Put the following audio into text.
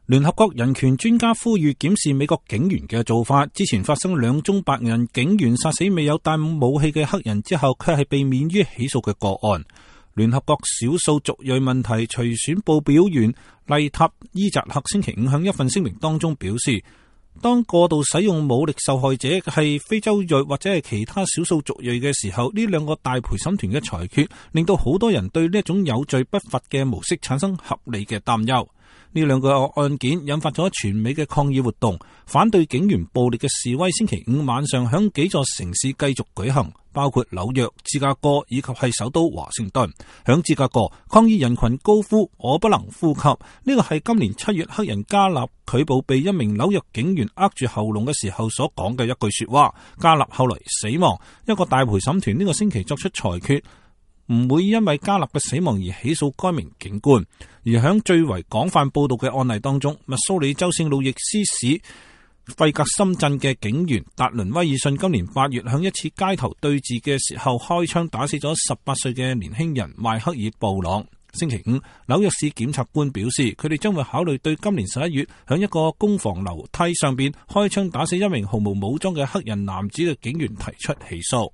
聯合國人權專家呼籲檢視美國警員嘅做法。之前發生2宗白人警員殺死未有帶武器嘅黑人之後，卻係被免於起訴嘅個案。聯合國少數族裔問題隨選報表員麗塔伊扎克星期5向一份聲明當中表示，當過度使用武力受害者係非洲裔或者係其他少數族裔嘅時候，呢兩個大陪審團嘅裁決令到好多人對呢一種有罪不罰嘅模式產生合理嘅擔憂。呢兩個案件引發咗全美嘅抗議活動，反對警員暴力嘅示威星期5晚上響幾座城市繼續舉行，包括紐約、芝加哥以及係首都華盛頓。響芝加哥，抗議人群高呼我不能呼吸，呢個係今年7月黑人加納拒捕被一名紐約警員扼住喉嚨嘅時候所講嘅一句說話。加納後來死亡，一個大陪審團呢個星期作出裁決，唔會因為加納嘅死亡而起訴該名警官。而響最為廣泛報道嘅案例當中，密蘇里州聖路易斯市費格森鎮嘅警員達倫威爾遜今年8月響一次街頭對峙嘅時候開槍打死咗18歲嘅年輕人邁克爾布朗。星期5，紐約市檢察官表示，佢哋將會考慮對今年11月響一個公房樓梯上邊開槍打死一名毫無武裝嘅黑人男子嘅警員提出起訴。